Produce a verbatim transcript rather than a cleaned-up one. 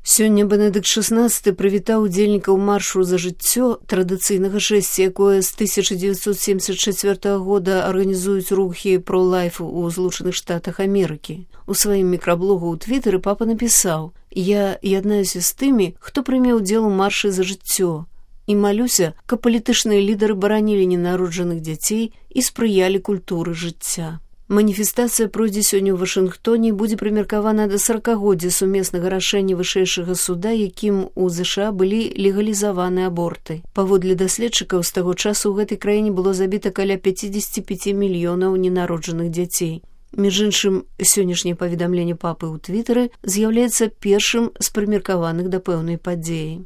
Сёння Бенедыкт шестнадцаты прывітаў удзельнікаў маршу за жыццё, традыцыйнага шэсця, якое з тысяча дзевяцьсот семьдесят чацвёртага года арганізуюць рухі про-лайф у Злучаных Штатах Амерыкі. У сваім мікраблогу ў Твітары папа напісаў: «Я яднаюся з тымі, хто прыме ўдзел у маршы за жыццё, і малюся, каб палітычныя лідары баранілі ненароджаных дзяцей і спрыялі культуры жыцця». Маніфестацыя пройдзе сёння ў Вашынгтоне і будзе прымеркавана да саракагоддзя сумеснага рашэння вышэйшага суда, якім у ЗША былі легалізаваны аборты. Паводле даследчыкаў, з таго часу ў гэтай краіне было забіта каля пяцьдзесят пяць мільёнаў ненароджаных дзяцей. Між іншым, сённяшняе паведамленне папы ў Твітары з'яўляецца першым з прымеркаваных да пэўнай падзеі.